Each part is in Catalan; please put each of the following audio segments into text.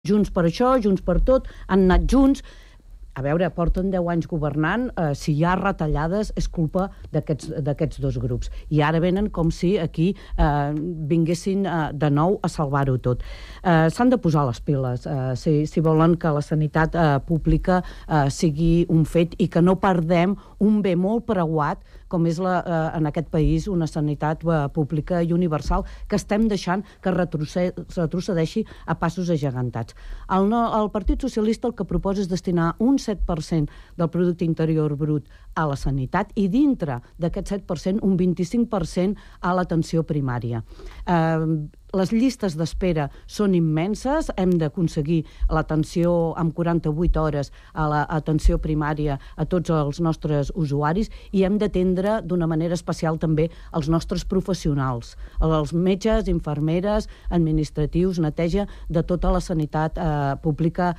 Junts per això, Junts per tot, han anat junts. A veure, porten 10 anys governant, si hi ha retallades és culpa d'aquests dos grups. I ara venen com si aquí vinguessin de nou a salvar-ho tot. S'han de posar les piles si volen que la sanitat pública sigui un fet i que no perdem un bé molt preuat com és en aquest país una sanitat pública i universal que estem deixant que retrocedeixi a passos agegantats. El Partit Socialista el que proposa és destinar un 7% del producte interior brut a la sanitat i dintre d'aquest 7% un 25% a l'atenció primària. Les llistes d'espera són immenses, hem d'aconseguir l'atenció amb 48 hores a l'atenció primària a tots els nostres usuaris i hem d'atendre d'una manera especial també els nostres professionals, els metges, infermeres, administratius, neteja de tota la sanitat pública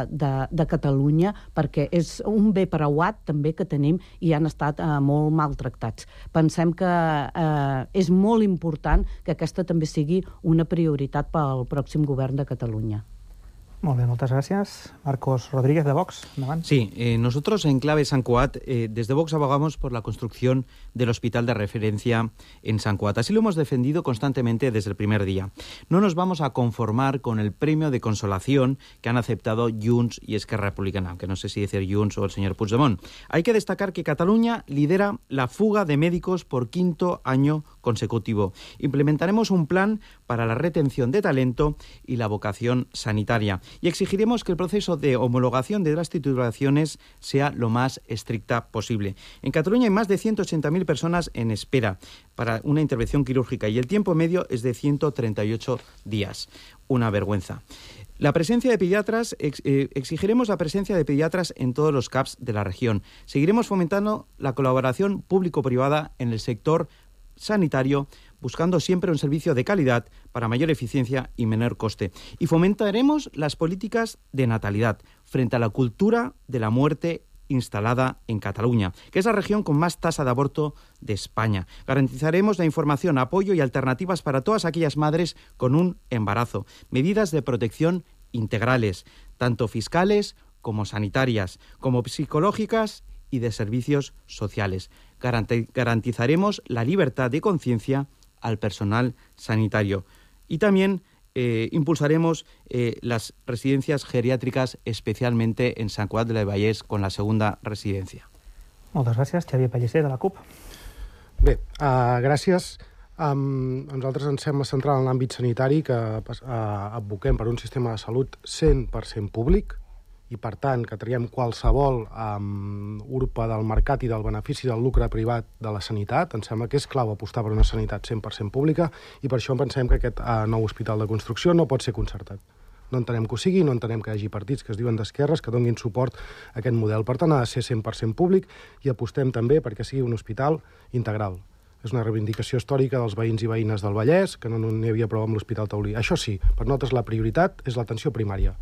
de Catalunya, perquè és un bé preuat també que tenim i han estat molt maltractats. Pensem que és molt important que aquesta també sigui una prioritat pel pròxim govern de Catalunya. Molt bé, moltes gràcies. Marcos Rodríguez, de Vox, endavant. Sí, nosotros en Clave San Cuat, desde Vox abogamos por la construcción del hospital de referencia en San Cuat. Así lo hemos defendido constantemente desde el primer día. No nos vamos a conformar con el premio de consolación que han aceptado Junts y Esquerra Republicana, aunque no sé si decir Junts o el señor Puigdemont. Hay que destacar que Cataluña lidera la fuga de médicos por 5º año consecutivo. Implementaremos un plan para la retención de talento y la vocación sanitaria. Y exigiremos que el proceso de homologación de las titulaciones sea lo más estricta posible. En Cataluña hay más de 180.000 personas en espera para una intervención quirúrgica y el tiempo medio es de 138 días. Una vergüenza. La presencia de pediatras, exigiremos la presencia de pediatras en todos los CAPs de la región. Seguiremos fomentando la colaboración público-privada en el sector sanitario, buscando siempre un servicio de calidad para mayor eficiencia y menor coste. Y fomentaremos las políticas de natalidad frente a la cultura de la muerte instalada en Cataluña, que es la región con más tasa de aborto de España. Garantizaremos la información, apoyo y alternativas para todas aquellas madres con un embarazo. Medidas de protección integrales, tanto fiscales como sanitarias, como psicológicas y de servicios sociales. Garantizaremos la libertad de conciencia al personal sanitario. Y también impulsaremos las residencias geriátricas, especialmente en Sant Cugat del Vallès, con la segunda residencia. Moltes gràcies. Xavier Pellicer, de la CUP. Bé, gràcies. A nosaltres ens sembla central en l'àmbit sanitari que advoquem per un sistema de salut 100% públic, i, per tant, que traiem qualsevol urpa del mercat i del benefici del lucre privat de la sanitat. Ens sembla que és clau apostar per una sanitat 100% pública i per això pensem que aquest nou hospital de construcció no pot ser concertat. No entenem que ho sigui, no entenem que hi hagi partits que es diuen d'esquerres que donin suport a aquest model. Per tant, ha de ser 100% públic i apostem també perquè sigui un hospital integral. És una reivindicació històrica dels veïns i veïnes del Vallès, que no n'hi havia prou amb l'Hospital Taulí. Això sí, per nosaltres la prioritat és l'atenció primària.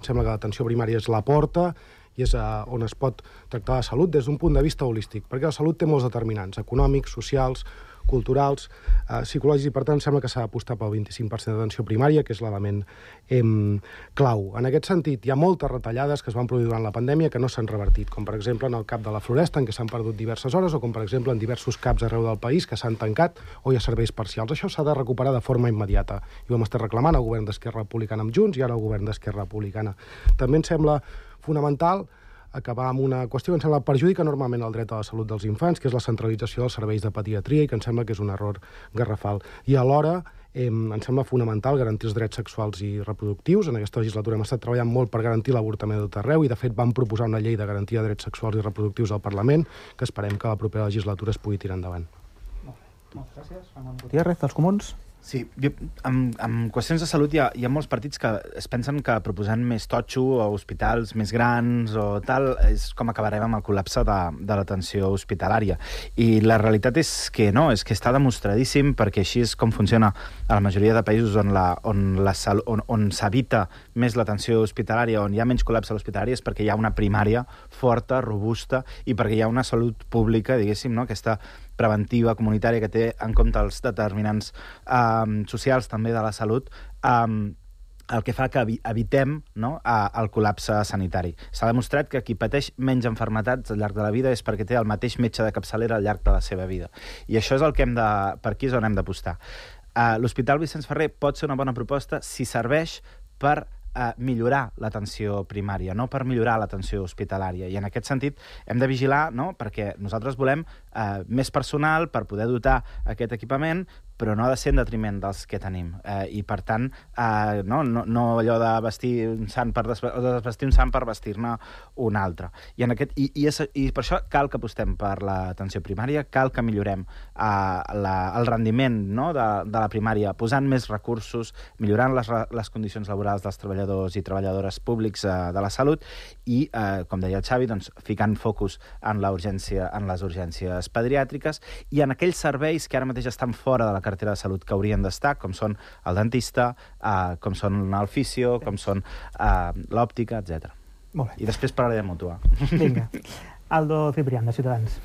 Em sembla que l'atenció primària és la porta i és on es pot tractar la salut des d'un punt de vista holístic, perquè la salut té molts determinants econòmics, socials, culturals, psicològics, i per tant sembla que s'ha d'apostar pel 25% d'atenció primària, que és l'element clau. En aquest sentit, hi ha moltes retallades que es van produir durant la pandèmia que no s'han revertit, com per exemple en el CAP de la Floresta, en què s'han perdut diverses hores, o com per exemple en diversos CAPs arreu del país que s'han tancat o hi ha serveis parcials. Això s'ha de recuperar de forma immediata. I ho hem estat reclamant al govern d'Esquerra Republicana amb Junts i ara al govern d'Esquerra Republicana. També ens sembla fonamental acabar amb una qüestió que ens sembla perjudica enormement el dret a la salut dels infants, que és la centralització dels serveis de pediatria i que ens sembla que és un error garrafal. I alhora ens sembla fonamental garantir els drets sexuals i reproductius. En aquesta legislatura hem estat treballant molt per garantir l'avortament a tot arreu i, de fet, vam proposar una llei de garantia de drets sexuals i reproductius al Parlament que esperem que la propera legislatura es pugui tirar endavant. Moltes gràcies. Ramon Gutiérrez, dels Comuns. Sí, en qüestions de salut hi ha molts partits que es pensen que proposant més totxo o hospitals més grans o tal és com acabarem amb el col·lapse de l'atenció hospitalària. I la realitat és que no, és que està demostradíssim, perquè així és com funciona a la majoria de països on s'evita més l'atenció hospitalària, on hi ha menys col·lapse a l'hospitalària, és perquè hi ha una primària forta, robusta, i perquè hi ha una salut pública, diguéssim, no? Aquesta preventiva, comunitària, que té en compte els determinants socials també de la salut, el que fa que evitem, no, el col·lapse sanitari. S'ha demostrat que qui pateix menys malalties al llarg de la vida és perquè té el mateix metge de capçalera al llarg de la seva vida. I això és el que per aquí és on hem d'apostar. L'Hospital Vicenç Ferrer pot ser una bona proposta si serveix per millorar l'atenció primària, no per millorar l'atenció hospitalària. I en aquest sentit hem de vigilar, no?, perquè nosaltres volem més personal per poder dotar aquest equipament, però no ha de ser en detriment dels que tenim. I, per tant, no allò de vestir un sant per desvestir un sant per vestir-ne un altre. I per això cal que apostem per l'atenció primària, cal que millorem el rendiment, no?, de la primària, posant més recursos, millorant les condicions laborals dels treballadors i treballadores públics de la salut i, com deia el Xavi, doncs, ficant focus en les urgències pediàtriques i en aquells serveis que ara mateix estan fora de la cartera de salut que haurien d'estar, com són el dentista, com són el fisio, com són l'òptica, etc. Molt bé. I després parlaré de Mutua. Vinga. Aldo Ciprián, de Ciutadans.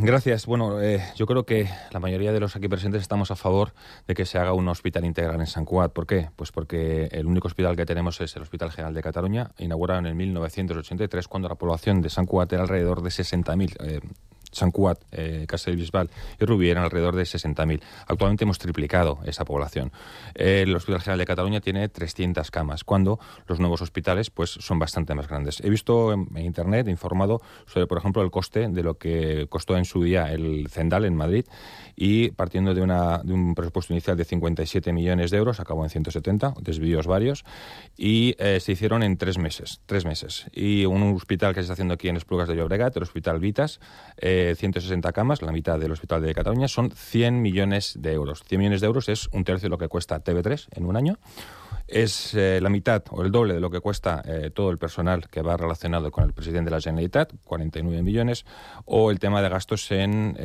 Gracias. Bueno, yo creo que la mayoría de los aquí presentes estamos a favor de que se haga un hospital integral en Sant Cugat. ¿Por qué? Pues porque el único hospital que tenemos es el Hospital General de Cataluña, inaugurado en el 1983, cuando la población de Sant Cugat era alrededor de 60.000. Sant Cugat, Castellbisbal y Rubí eran alrededor de 60.000. Actualmente hemos triplicado esa población. El Hospital General de Cataluña tiene 300 camas, cuando los nuevos hospitales pues son bastante más grandes. He visto en Internet, he informado sobre, por ejemplo, el coste de lo que costó en su día el Zendal en Madrid, y partiendo de un presupuesto inicial de 57 millones de euros, acabó en 170, desvíos varios, y se hicieron en 3 meses. Y un hospital que se está haciendo aquí en Esplugas de Llobregat, el Hospital Vitas, 160 camas, la mitad del Hospital de Cataluña, son 100 millones de euros. 100 millones de euros es un tercio de lo que cuesta TV3 en un año. Es la mitad o el doble de lo que cuesta todo el personal que va relacionado con el presidente de la Generalitat, 49 millones, o el tema de gastos en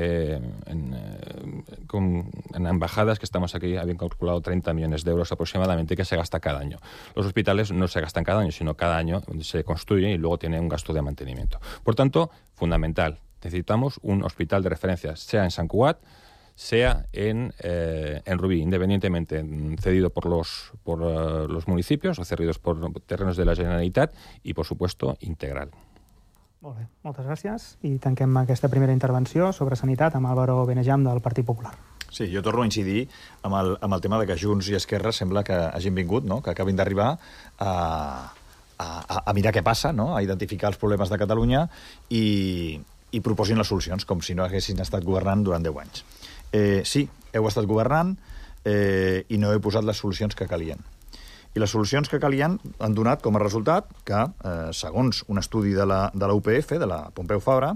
embajadas, que estamos aquí, habían calculado 30 millones de euros aproximadamente, que se gasta cada año. Los hospitales no se gastan cada año, sino cada año se construyen y luego tienen un gasto de mantenimiento. Por tanto, fundamental, necesitamos un hospital de referencia, sea en Sant Cugat, sea en Rubí, independientemente cedido por los municipios o cedidos por terrenos de la Generalitat y, por supuesto, integral. Molt bé, moltes gràcies. I tanquem aquesta primera intervenció sobre sanitat amb Álvaro Benejam del Partit Popular. Sí, jo torno a incidir amb el tema de que Junts i Esquerra sembla que hagin vingut, no?, que acabin d'arribar a mirar què passa, no?, a identificar els problemes de Catalunya i proposin les solucions, com si no haguessin estat governant durant 10 anys. Sí, heu estat governant i no heu posat les solucions que calien. I les solucions que calien han donat com a resultat que, segons un estudi de la UPF, de la Pompeu Fabra,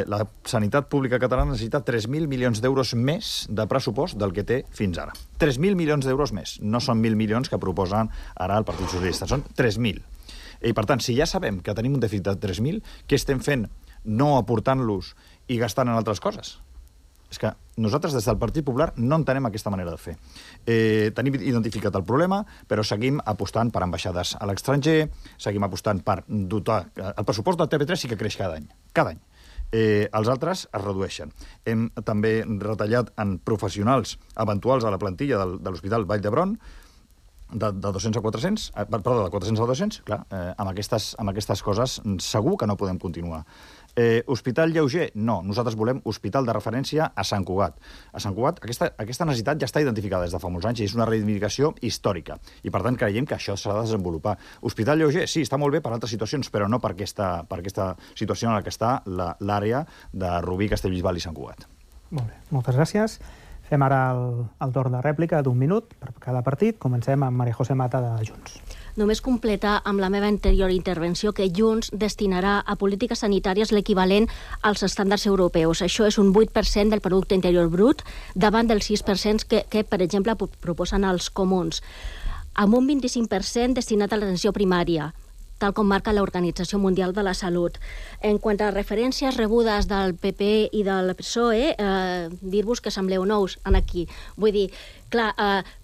la sanitat pública catalana necessita 3.000 milions d'euros més de pressupost del que té fins ara. 3.000 milions d'euros més. No són 1.000 milions que proposen ara el Partit Socialista, són 3.000. I, per tant, si ja sabem que tenim un dèficit de 3.000, què estem fent no aportant-los i gastant en altres coses? És que nosaltres des del Partit Popular no entenem aquesta manera de fer. Tenim identificat el problema, però seguim apostant per ambaixades a l'estranger, seguim apostant per dotar... El pressupost del TV3 sí que creix cada any. Cada any. Els altres es redueixen. Hem també retallat en professionals eventuals a la plantilla de l'Hospital Vall d'Hebron, de 200 a 400, perdó, de 400 a 200, clar, amb aquestes coses segur que no podem continuar. Hospital lleuger? No. Nosaltres volem hospital de referència a Sant Cugat. A Sant Cugat aquesta necessitat ja està identificada des de fa molts anys i és una reivindicació històrica. I, per tant, creiem que això s'ha de desenvolupar. Hospital lleuger? Sí, està molt bé per altres situacions, però no per aquesta situació en la que està l'àrea de Rubí, Castellbisbal i Sant Cugat. Molt bé, moltes gràcies. Fem ara el torn de rèplica d'un minut per cada partit. Comencem amb Maria José Mata de Junts. Només completar amb la meva anterior intervenció que Junts destinarà a polítiques sanitàries l'equivalent als estàndards europeus. Això és un 8% del producte interior brut davant del 6% que per exemple, proposen els comuns. Amb un 25% destinat a l'atenció primària, tal com marca l'Organització Mundial de la Salut. En quant a referències rebudes del PP i del PSOE, dir-vos que sembleu nous en aquí. Vull dir, clar,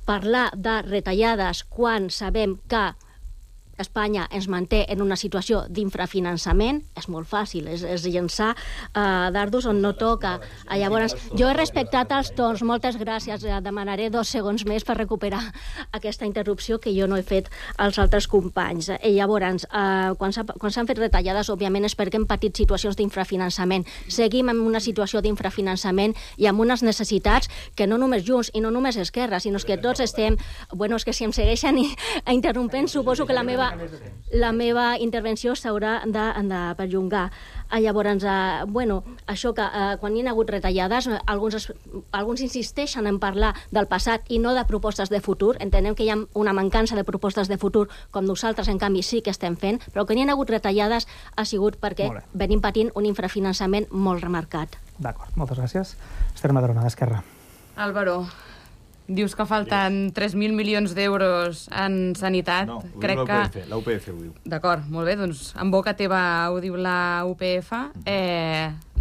parlar de retallades quan sabem que Espanya ens manté en una situació d'infrafinançament, és molt fàcil, és llençar dardos on no toca. Llavors, jo he respectat els torns, moltes gràcies, demanaré 2 segons més per recuperar aquesta interrupció que jo no he fet als altres companys. Llavors, quan s'han fet retallades, òbviament és perquè hem patit situacions d'infrafinançament. Seguim en una situació d'infrafinançament i amb unes necessitats que no només Junts i no només Esquerra, sinó que tots estem... Bueno, és que si em segueixen interrompent, suposo que la meva intervenció s'haurà de perllongar. Llavors, això que quan hi ha hagut retallades, alguns insisteixen en parlar del passat i no de propostes de futur. Entenem que hi ha una mancança de propostes de futur, com nosaltres, en canvi, sí que estem fent, però que hi ha hagut retallades ha sigut perquè venim patint un infrafinançament molt remarcat. D'acord, moltes gràcies. Esther Madrona, d'Esquerra. Álvaro, dius que falten 3.000 milions d'euros en sanitat. No, ho crec diu la UPF ho diu. D'acord, molt bé, doncs en boca teva ho diu la UPF.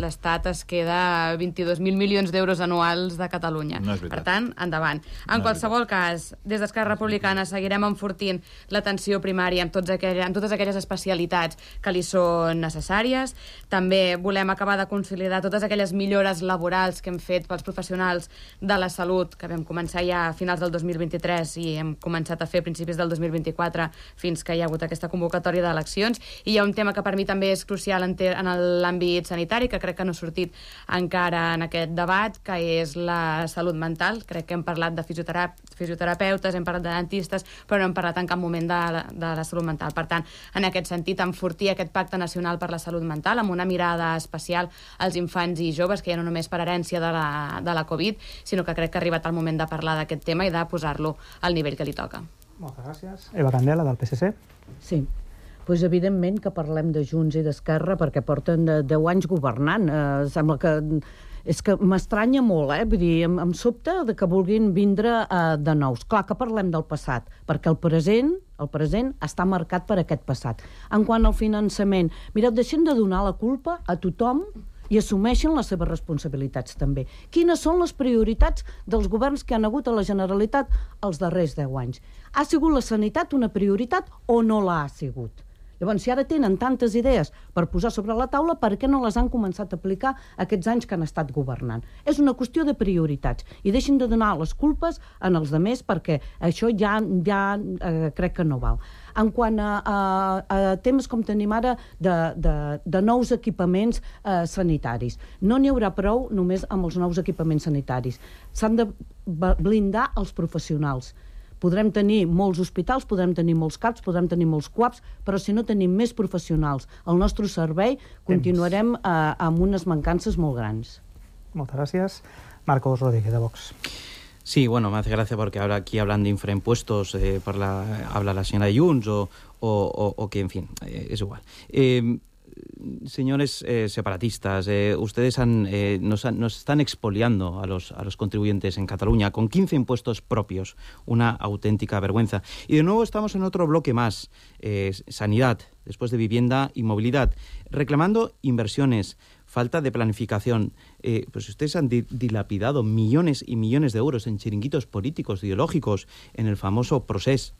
L'Estat es queda 22.000 milions d'euros anuals de Catalunya. No és veritat. Per tant, endavant. En qualsevol cas, des d'Esquerra Republicana seguirem enfortint l'atenció primària amb totes aquelles especialitats que li són necessàries. També volem acabar de consolidar totes aquelles millores laborals que hem fet pels professionals de la salut, que vam començar ja a finals del 2023 i hem començat a fer a principis del 2024 fins que hi ha hagut aquesta convocatòria d'eleccions. I hi ha un tema que per mi també és crucial en l'àmbit sanitari, que crec que no ha sortit encara en aquest debat, que és la salut mental. Crec que hem parlat de fisioterapeutes, hem parlat de dentistes, però no hem parlat en cap moment de la salut mental. Per tant, en aquest sentit, enfortir aquest pacte nacional per la salut mental amb una mirada especial als infants i joves, que ja no només per herència de la Covid, sinó que crec que ha arribat el moment de parlar d'aquest tema i de posar-lo al nivell que li toca. Moltes gràcies. Eva Candela, del PSC. Sí. Pues evidentment que parlem de Junts i d'Esquerra perquè porten 10 anys governant. Sembla que... És que m'estranya molt, Vull dir, em sobta que vulguin vindre de nous. Clar que parlem del passat, perquè el present està marcat per aquest passat. En quant al finançament, mireu, deixem de donar la culpa a tothom i assumeixen les seves responsabilitats també. Quines són les prioritats dels governs que han hagut a la Generalitat els darrers 10 anys? Ha sigut la sanitat una prioritat o no l'ha sigut? Llavors, si ara tenen tantes idees per posar sobre la taula, per què no les han començat a aplicar aquests anys que han estat governant? És una qüestió de prioritats. I deixin de donar les culpes en els altres perquè això ja crec que no val. En quant a temes com tenim ara de nous equipaments sanitaris, no n'hi haurà prou només amb els nous equipaments sanitaris. S'han de blindar els professionals. Podrem tenir molts hospitals, podrem tenir molts CAPs, podrem tenir molts CUAPs, però si no tenim més professionals al nostre servei, continuarem amb unes mancances molt grans. Moltes gràcies. Marcos Rodríguez, de Vox. Sí, bueno, me hace gracia porque ahora aquí hablan de infraimpuestos, habla la señora Junts o que, en fin, es igual. Señores separatistas, ustedes nos están expoliando a los contribuyentes en Cataluña con 15 impuestos propios, una auténtica vergüenza. Y de nuevo estamos en otro bloque más, sanidad, después de vivienda y movilidad, reclamando inversiones, falta de planificación. Pues ustedes han dilapidado millones y millones de euros en chiringuitos políticos, ideológicos, en el famoso Procés.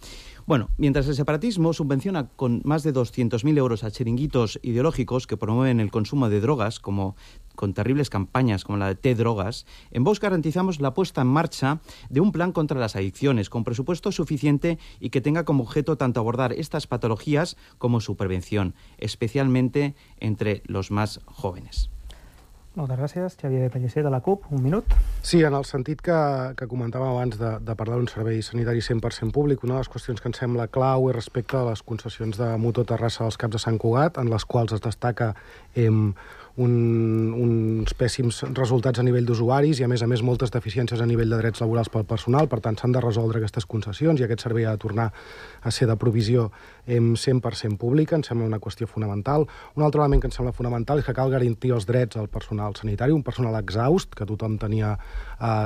Bueno, mientras el separatismo subvenciona con más de 200.000 euros a chiringuitos ideológicos que promueven el consumo de drogas, como con terribles campañas como la de T-Drogas, en Vox garantizamos la puesta en marcha de un plan contra las adicciones, con presupuesto suficiente y que tenga como objeto tanto abordar estas patologías como su prevención, especialmente entre los más jóvenes. Moltes gràcies. Xavier Pellicer, de la CUP, un minut. Sí, en el sentit que comentàvem abans de parlar d'un servei sanitari 100% públic, una de les qüestions que ens sembla clau és respecte a les concessions de Motor Terrassa als Caps de Sant Cugat, en les quals es destaca uns pèssims resultats a nivell d'usuaris i, a més, moltes deficiències a nivell de drets laborals pel personal. Per tant, s'han de resoldre aquestes concessions i aquest servei ha de tornar a ser de provisió 100% pública. Ens sembla una qüestió fonamental. Un altre element que ens sembla fonamental és que cal garantir els drets al personal sanitari, un personal exhaust que tothom tenia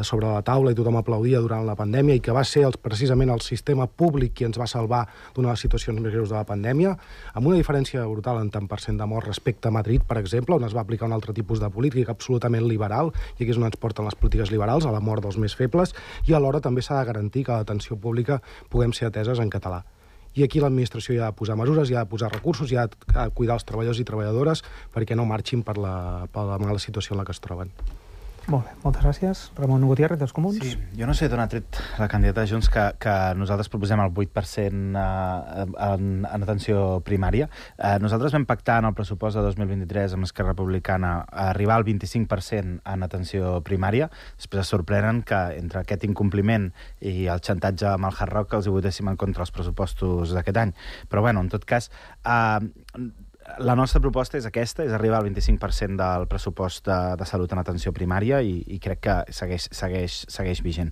sobre la taula i tothom aplaudia durant la pandèmia i que va ser precisament el sistema públic qui ens va salvar d'una de les situacions més greus de la pandèmia, amb una diferència brutal en tant % de morts respecte a Madrid, per exemple, on es va aplicar un altre tipus de política absolutament liberal, i aquí és on ens porten les polítiques liberals, a la mort dels més febles, i alhora també s'ha de garantir que a l'atenció pública puguem ser ateses en català. I aquí l'administració hi ha de posar mesures, hi ha de posar recursos, hi ha de cuidar els treballadors i treballadores perquè no marxin per la mala situació en la que es troben. Molt bé, moltes gràcies. Ramon Gutiérrez, dels Comuns. Sí, jo no sé d'on ha tret la candidata de Junts que nosaltres proposem el 8% en atenció primària. Nosaltres vam pactar en el pressupost de 2023 amb Esquerra Republicana arribar al 25% en atenció primària. Després es sorprenen que entre aquest incompliment i el xantatge amb el Hard Rock els hi votéssim en contra els pressupostos d'aquest any. Però, bueno, en tot cas, la nostra proposta és aquesta, és arribar al 25% del pressupost de salut en atenció primària i crec que segueix vigent.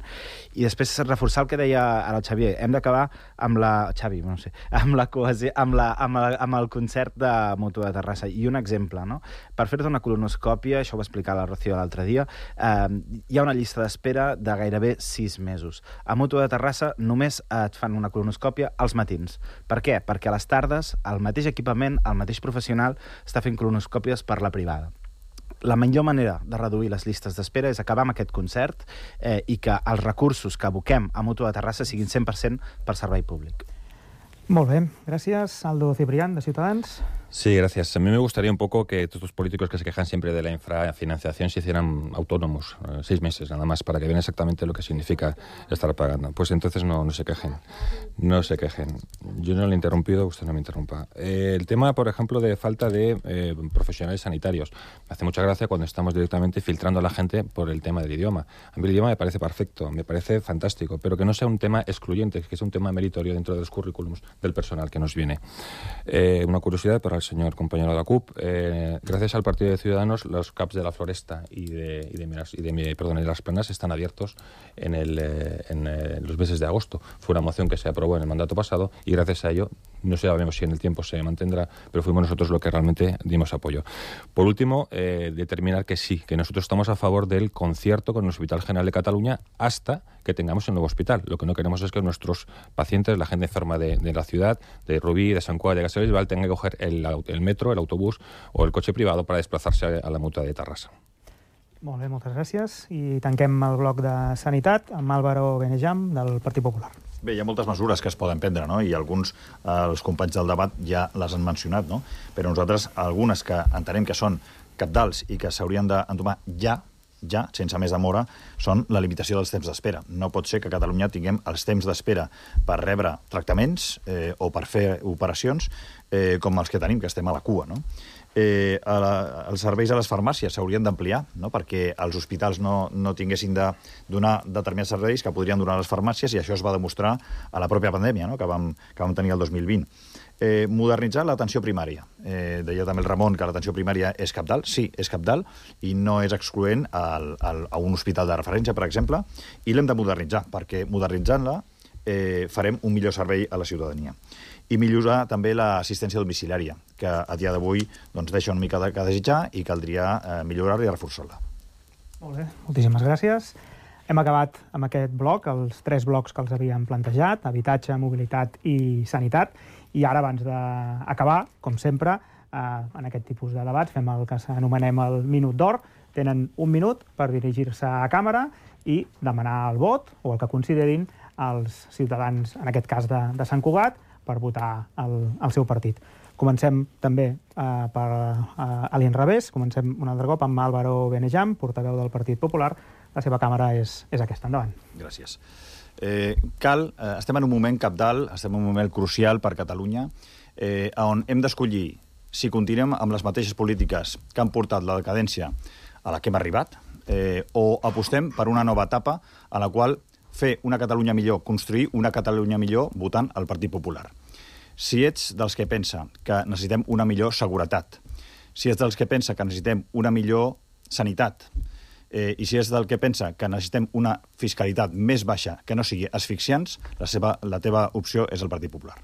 I després reforçar el que deia ara el Xavier, hem d'acabar amb la cohesió, amb el concert de Mútua de Terrassa. I un exemple, no? Per fer-te una colonoscòpia, això ho va explicar la Rocío l'altre dia, hi ha una llista d'espera de gairebé 6 mesos. A Mútua de Terrassa només et fan una colonoscòpia als matins. Per què? Perquè a les tardes el mateix equipament, el mateix professional està fent colonoscòpies per la privada. La millor manera de reduir les llistes d'espera és acabar amb aquest concert i que els recursos que aboquem a Mútua de Terrassa siguin 100% per servei públic. Molt bé, gràcies. Aldo Ciprián, de Ciutadans. Sí, gracias. A mí me gustaría un poco que todos los políticos que se quejan siempre de la infrafinanciación se hicieran autónomos, 6 meses nada más, para que vean exactamente lo que significa estar pagando. Pues entonces no se quejen. No se quejen. Yo no le he interrumpido, usted no me interrumpa. El tema, por ejemplo, de falta de profesionales sanitarios. Me hace mucha gracia cuando estamos directamente filtrando a la gente por el tema del idioma. A mí el idioma me parece perfecto, me parece fantástico, pero que no sea un tema excluyente, que sea un tema meritorio dentro de los currículums del personal que nos viene. Una curiosidad para el señor compañero de la CUP. Gracias al Partido de Ciudadanos, los CAPs de la Floresta y de Las Planas están abiertos en los meses de agosto. Fue una moción que se aprobó en el mandato pasado y gracias a ello, no sabemos si en el tiempo se mantendrá, pero fuimos nosotros los que realmente dimos apoyo. Por último, determinar que sí, que nosotros estamos a favor del concierto con el Hospital General de Cataluña hasta que tengamos el nuevo hospital. Lo que no queremos es que nuestros pacientes, la gente enferma de la ciudad, de Rubí, de Sant Cugat, de Castellbisbal, tengan que coger el metro, el autobús o el coche privado para desplazarse a la Mútua de Terrassa. Molt bé, moltes gràcies. I tanquem el bloc de Sanitat amb Álvaro Benejam, del Partit Popular. Bé, hi ha moltes mesures que es poden prendre, no? I alguns, els companys del debat ja les han mencionat, no? Però nosaltres, algunes que entenem que són cabdals i que s'haurien d'entomar ja, sense més demora, són la limitació dels temps d'espera. No pot ser que a Catalunya tinguem els temps d'espera per rebre tractaments o per fer operacions com els que tenim, que estem a la cua, no? Els serveis a les farmàcies s'haurien d'ampliar, no? Perquè els hospitals no tinguessin de donar determinats serveis que podrien donar les farmàcies, i això es va demostrar a la pròpia pandèmia, no? que vam tenir el 2020. Modernitzar l'atenció primària. Deia també el Ramon que l'atenció primària és cabdal. Sí, és cabdal, i no és excloent a un hospital de referència, per exemple, i l'hem de modernitzar, perquè modernitzant-la farem un millor servei a la ciutadania. I millorar també l'assistència domiciliària, que a dia d'avui deixa una mica de desitjar i caldria millorar-la i reforçar-la. Molt bé, moltíssimes gràcies. Hem acabat amb aquest bloc, els 3 blocs que els havíem plantejat, habitatge, mobilitat i sanitat, i ara, abans d'acabar, com sempre, en aquest tipus de debats, fem el que anomenem el minut d'or. Tenen 1 minut per dirigir-se a càmera i demanar el vot, o el que considerin els ciutadans, en aquest cas de Sant Cugat, per votar el seu partit. Comencem també per a l'inrevés, comencem un altre cop amb Álvaro Benejam, portaveu del Partit Popular. La seva càmera és aquesta. Endavant. Gràcies. Estem en un moment cabdal, estem en un moment crucial per Catalunya, on hem d'escollir si continuem amb les mateixes polítiques que han portat la decadència a la que hem arribat, o apostem per una nova etapa a la qual fer una Catalunya millor, construir una Catalunya millor votant el Partit Popular. Si ets dels que pensa que necessitem una millor seguretat, si ets dels que pensa que necessitem una millor sanitat, i si és del que pensa que necessitem una fiscalitat més baixa que no sigui asfixiants, la teva opció és el Partit Popular.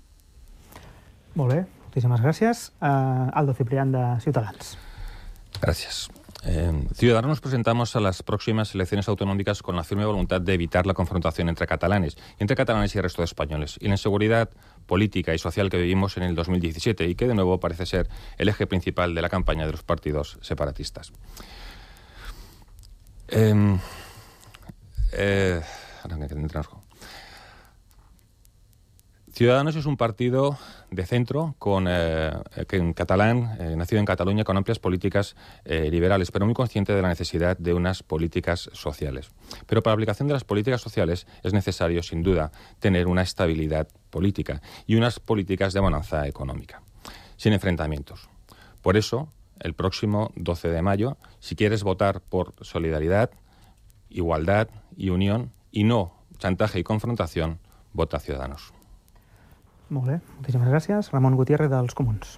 Molt bé, moltíssimes gràcies. Aldo Ciprián, de Ciutadans. Gracias. Ciudadanos nos presentamos a las próximas elecciones autonómicas con la firme voluntad de evitar la confrontación entre catalanes y el resto de españoles, y la inseguridad política y social que vivimos en el 2017 y que de nuevo parece ser el eje principal de la campaña de los partidos separatistas. Ciudadanos es un partido de centro que en catalán, nacido en Cataluña, con amplias políticas liberales, pero muy consciente de la necesidad de unas políticas sociales. Pero para la aplicación de las políticas sociales es necesario, sin duda, tener una estabilidad política y unas políticas de bonanza económica, sin enfrentamientos. Por eso, el próximo 12 de mayo, si quieres votar por solidaridad, igualdad y unión, y no chantaje y confrontación, vota Ciudadanos. Molt bé, moltíssimes gràcies. Ramon Gutiérrez, dels Comuns.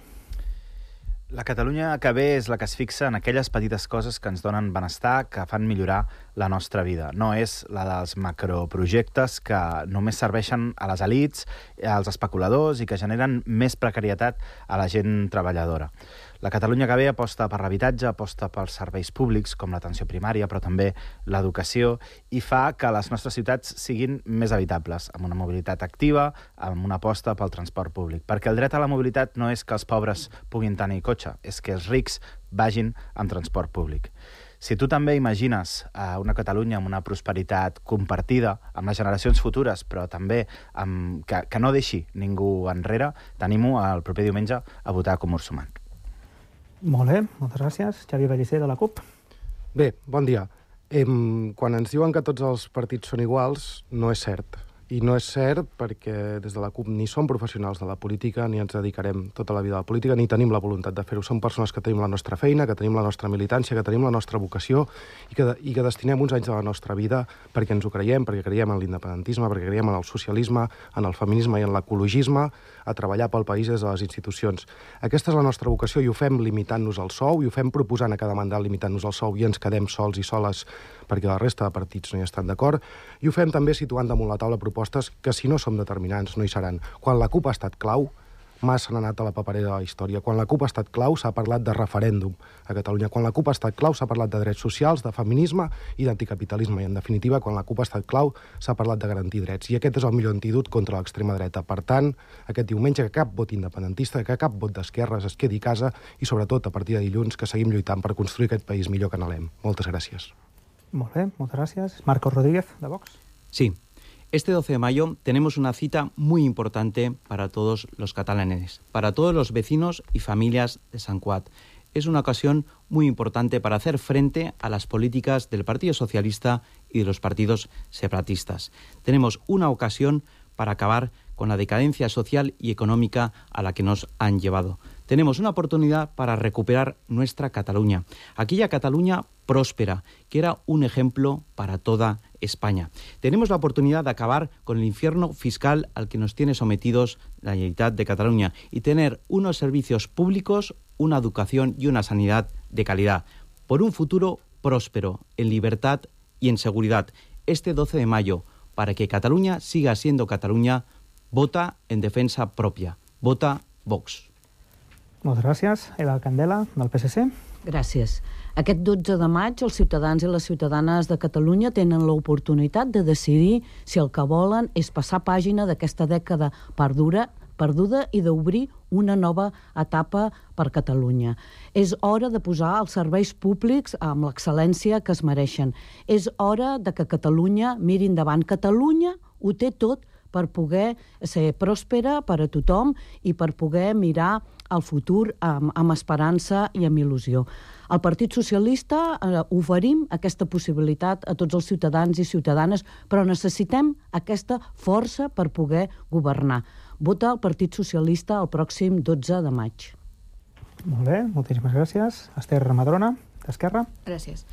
La Catalunya que ve és la que es fixa en aquelles petites coses que ens donen benestar, que fan millorar la nostra vida. No és la dels macroprojectes que només serveixen a les elits, als especuladors i que generen més precarietat a la gent treballadora. La Catalunya que ve aposta per l'habitatge, aposta pels serveis públics, com l'atenció primària, però també l'educació, i fa que les nostres ciutats siguin més habitables, amb una mobilitat activa, amb una aposta pel transport públic. Perquè el dret a la mobilitat no és que els pobres puguin tenir cotxe, és que els rics vagin amb transport públic. Si tu també imagines una Catalunya amb una prosperitat compartida amb les generacions futures, però també que no deixi ningú enrere, t'animo el proper diumenge a votar Comú Sumant. Molt bé, moltes gràcies. Xavier Pellicer, de la CUP. Bé, bon dia. Quan ens diuen que tots els partits són iguals, no és cert. I no és cert perquè des de la CUP ni som professionals de la política, ni ens dedicarem tota la vida a la política, ni tenim la voluntat de fer-ho. Som persones que tenim la nostra feina, que tenim la nostra militància, que tenim la nostra vocació i que destinem uns anys de la nostra vida perquè ens ho creiem, perquè creiem en l'independentisme, perquè creiem en el socialisme, en el feminisme i en l'ecologisme, a treballar pel país des de les institucions. Aquesta és la nostra vocació i ho fem limitant-nos el sou i ho fem proposant a cada mandat limitant-nos el sou i ens quedem sols i soles perquè la resta de partits no hi estan d'acord. I ho fem també situant damunt la taula propostes que si no som determinants no hi seran. Quan la CUP ha estat clau, massa n'ha anat a la paperera de la història. Quan la CUP ha estat clau, s'ha parlat de referèndum a Catalunya. Quan la CUP ha estat clau, s'ha parlat de drets socials, de feminisme i d'anticapitalisme. I, en definitiva, quan la CUP ha estat clau, s'ha parlat de garantir drets. I aquest és el millor antídot contra l'extrema dreta. Per tant, aquest diumenge, que cap vot independentista, que cap vot d'esquerres es quedi a casa i, sobretot, a partir de dilluns, que seguim lluitant per construir aquest país millor que n'anhelem. Moltes gràcies. Molt bé, moltes gràcies. Marcos Rodríguez, de Vox. Sí. Este 12 de mayo tenemos una cita muy importante para todos los catalanes, para todos los vecinos y familias de Sant Cugat. Es una ocasión muy importante para hacer frente a las políticas del Partido Socialista y de los partidos separatistas. Tenemos una ocasión para acabar con la decadencia social y económica a la que nos han llevado. Tenemos una oportunidad para recuperar nuestra Cataluña, aquella Cataluña próspera, que era un ejemplo para toda España. Tenemos la oportunidad de acabar con el infierno fiscal al que nos tiene sometidos la Generalitat de Cataluña y tener unos servicios públicos, una educación y una sanidad de calidad, por un futuro próspero, en libertad y en seguridad. Este 12 de mayo, para que Cataluña siga siendo Cataluña, vota en defensa propia. Vota Vox. Moltes gràcies. Eva Candela, del PSC. Gràcies. Aquest 12 de maig els ciutadans i les ciutadanes de Catalunya tenen l'oportunitat de decidir si el que volen és passar pàgina d'aquesta dècada perduda i d'obrir una nova etapa per Catalunya. És hora de posar els serveis públics amb l'excel·lència que es mereixen. És hora de que Catalunya miri endavant. Catalunya ho té tot per poder ser pròspera per a tothom i per poder mirar el futur amb esperança i amb il·lusió. Al Partit Socialista oferim aquesta possibilitat a tots els ciutadans i ciutadanes, però necessitem aquesta força per poder governar. Vota el Partit Socialista el pròxim 12 de maig. Molt bé, moltíssimes gràcies. Esther Madrona, d'Esquerra. Gràcies.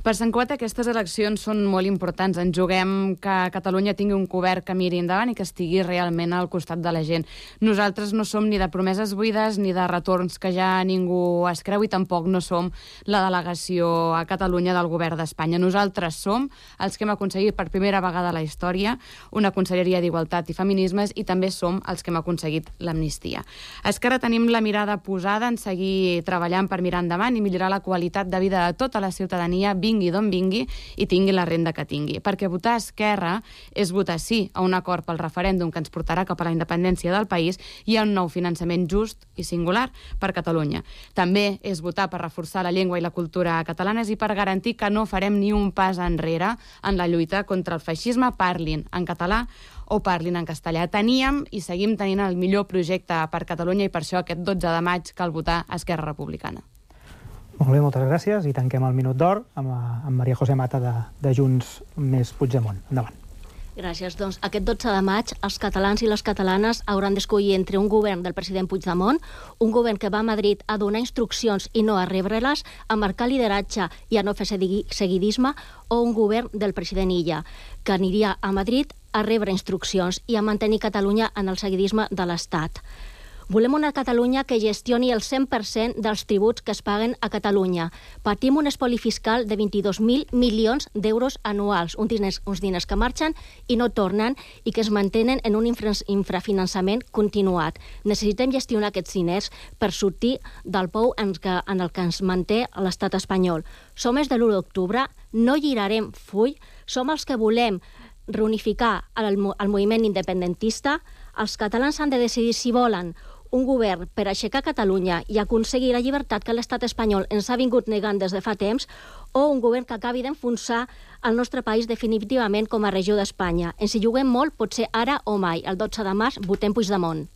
Per Sant Cugat aquestes eleccions són molt importants. Ens juguem que Catalunya tingui un govern que miri endavant i que estigui realment al costat de la gent. Nosaltres no som ni de promeses buides ni de retorns que ja ningú es creu i tampoc no som la delegació a Catalunya del govern d'Espanya. Nosaltres som els que hem aconseguit per primera vegada a la història una conselleria d'Igualtat i Feminismes i també som els que hem aconseguit l'amnistia. A Esquerra tenim la mirada posada en seguir treballant per mirar endavant i millorar la qualitat de vida de tota la ciutadania, vingui d'on vingui i tingui la renda que tingui. Perquè votar Esquerra és votar sí a un acord pel referèndum que ens portarà cap a la independència del país i a un nou finançament just i singular per Catalunya. També és votar per reforçar la llengua i la cultura catalanes i per garantir que no farem ni un pas enrere en la lluita contra el feixisme, parlin en català o parlin en castellà. Teníem i seguim tenint el millor projecte per Catalunya i per això aquest 12 de maig cal votar Esquerra Republicana. Molt bé, moltes gràcies i tanquem el Minut d'Or amb Maria José Mata de Junts més Puigdemont. Endavant. Gràcies. Doncs aquest 12 de maig els catalans i les catalanes hauran d'escollir entre un govern del president Puigdemont, un govern que va a Madrid a donar instruccions i no a rebre-les, a marcar lideratge i a no fer seguidisme, o un govern del president Illa, que aniria a Madrid a rebre instruccions i a mantenir Catalunya en el seguidisme de l'Estat. Volem una Catalunya que gestioni el 100% dels tributs que es paguen a Catalunya. Patim un espoli fiscal de 22.000 milions d'euros anuals, uns diners que marxen i no tornen i que es mantenen en un infrafinançament continuat. Necessitem gestionar aquests diners per sortir del pou en el que ens manté l'estat espanyol. Som els de l'1 d'octubre, no girarem full, som els que volem reunificar el moviment independentista. Els catalans han de decidir si volen un govern per aixecar Catalunya i aconseguir la llibertat que l'estat espanyol ens ha vingut negant des de fa temps, o un govern que acabi d'enfonsar el nostre país definitivament com a regió d'Espanya. Ens hi juguem molt, potser ara o mai. El 12 de març votem Puigdemont.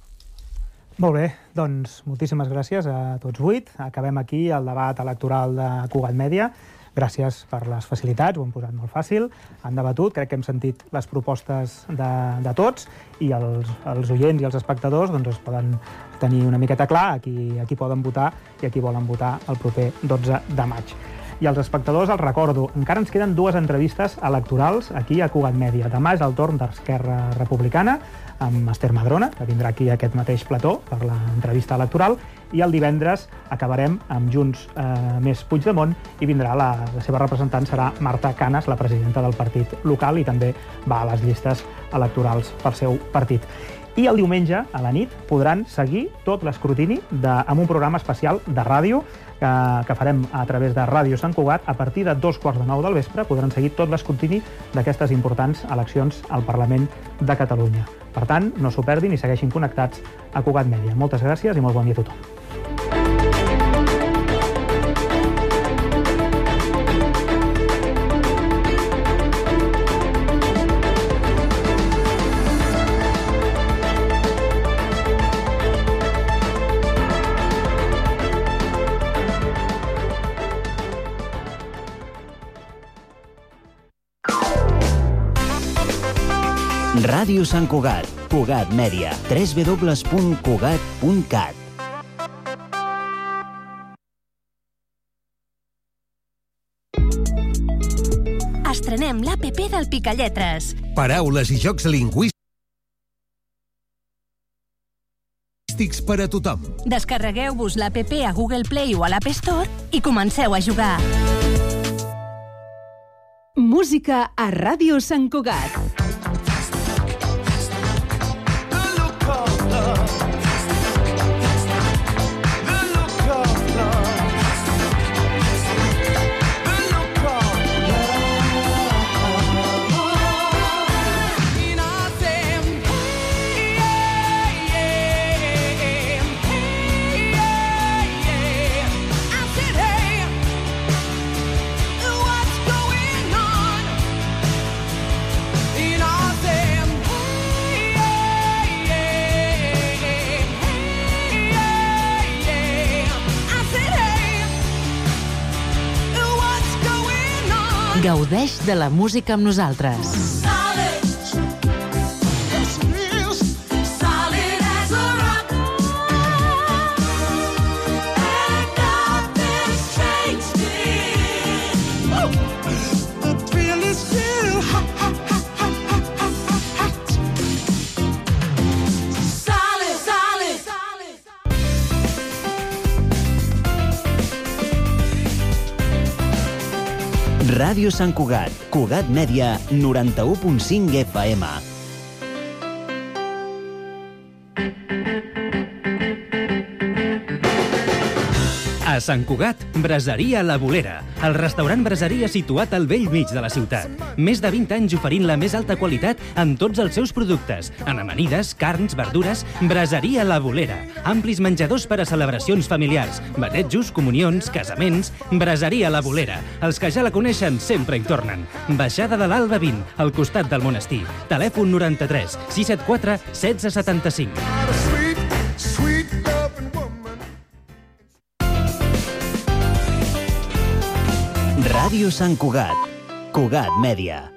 Molt bé, doncs moltíssimes gràcies a tots 8. Acabem aquí el debat electoral de Cugat Mèdia. Gràcies per les facilitats, ho hem posat molt fàcil, han debatut, crec que hem sentit les propostes de tots i els oients i els espectadors doncs es poden tenir una miqueta clar a qui poden votar i a qui volen votar el proper 12 de maig. I als espectadors els recordo, encara ens queden 2 entrevistes electorals aquí a Cugat Mèdia. Demà és el torn d'Esquerra Republicana, amb Esther Madrona, que vindrà aquí a aquest mateix plató per l'entrevista electoral, i el divendres acabarem amb Junts més Puigdemont i vindrà la seva representant serà Marta Canes, la presidenta del partit local, i també va a les llistes electorals pel seu partit. I el diumenge, a la nit, podran seguir tot l'escrutini amb un programa especial de ràdio que farem a través de Ràdio Sant Cugat. A partir de 2:45 del vespre podran seguir tot l'escrutini d'aquestes importants eleccions al Parlament de Catalunya. Per tant, no s'ho perdin i segueixin connectats a Cugat Mèdia. Moltes gràcies i molt bon dia a tothom. Ràdio Sant Cugat, Cugat Mèdia, www.cugat.cat. Estrenem l'APP del Picalletres. Paraules i jocs lingüístics per a tothom. Descarregueu-vos l'APP a Google Play o a l'App Store i comenceu a jugar. Música a Ràdio Sant Cugat. Gaudeix de la música amb nosaltres. Ràdio Sant Cugat, Cugat Mèdia, 91.5 FM. A Sant Cugat, Braseria La Bolera, el restaurant braseria situat al vell mig de la ciutat. Més de 20 anys oferint la més alta qualitat en tots els seus productes. En amanides, carns, verdures, Braseria La Bolera. Amplis menjadors per a celebracions familiars, batejos, comunions, casaments. Braseria La Bolera. Els que ja la coneixen sempre hi tornen. Baixada de l'Alba 20, al costat del monestir. Telèfon 93 674 1675. Ràdio Sant Cugat. Cugat Mèdia.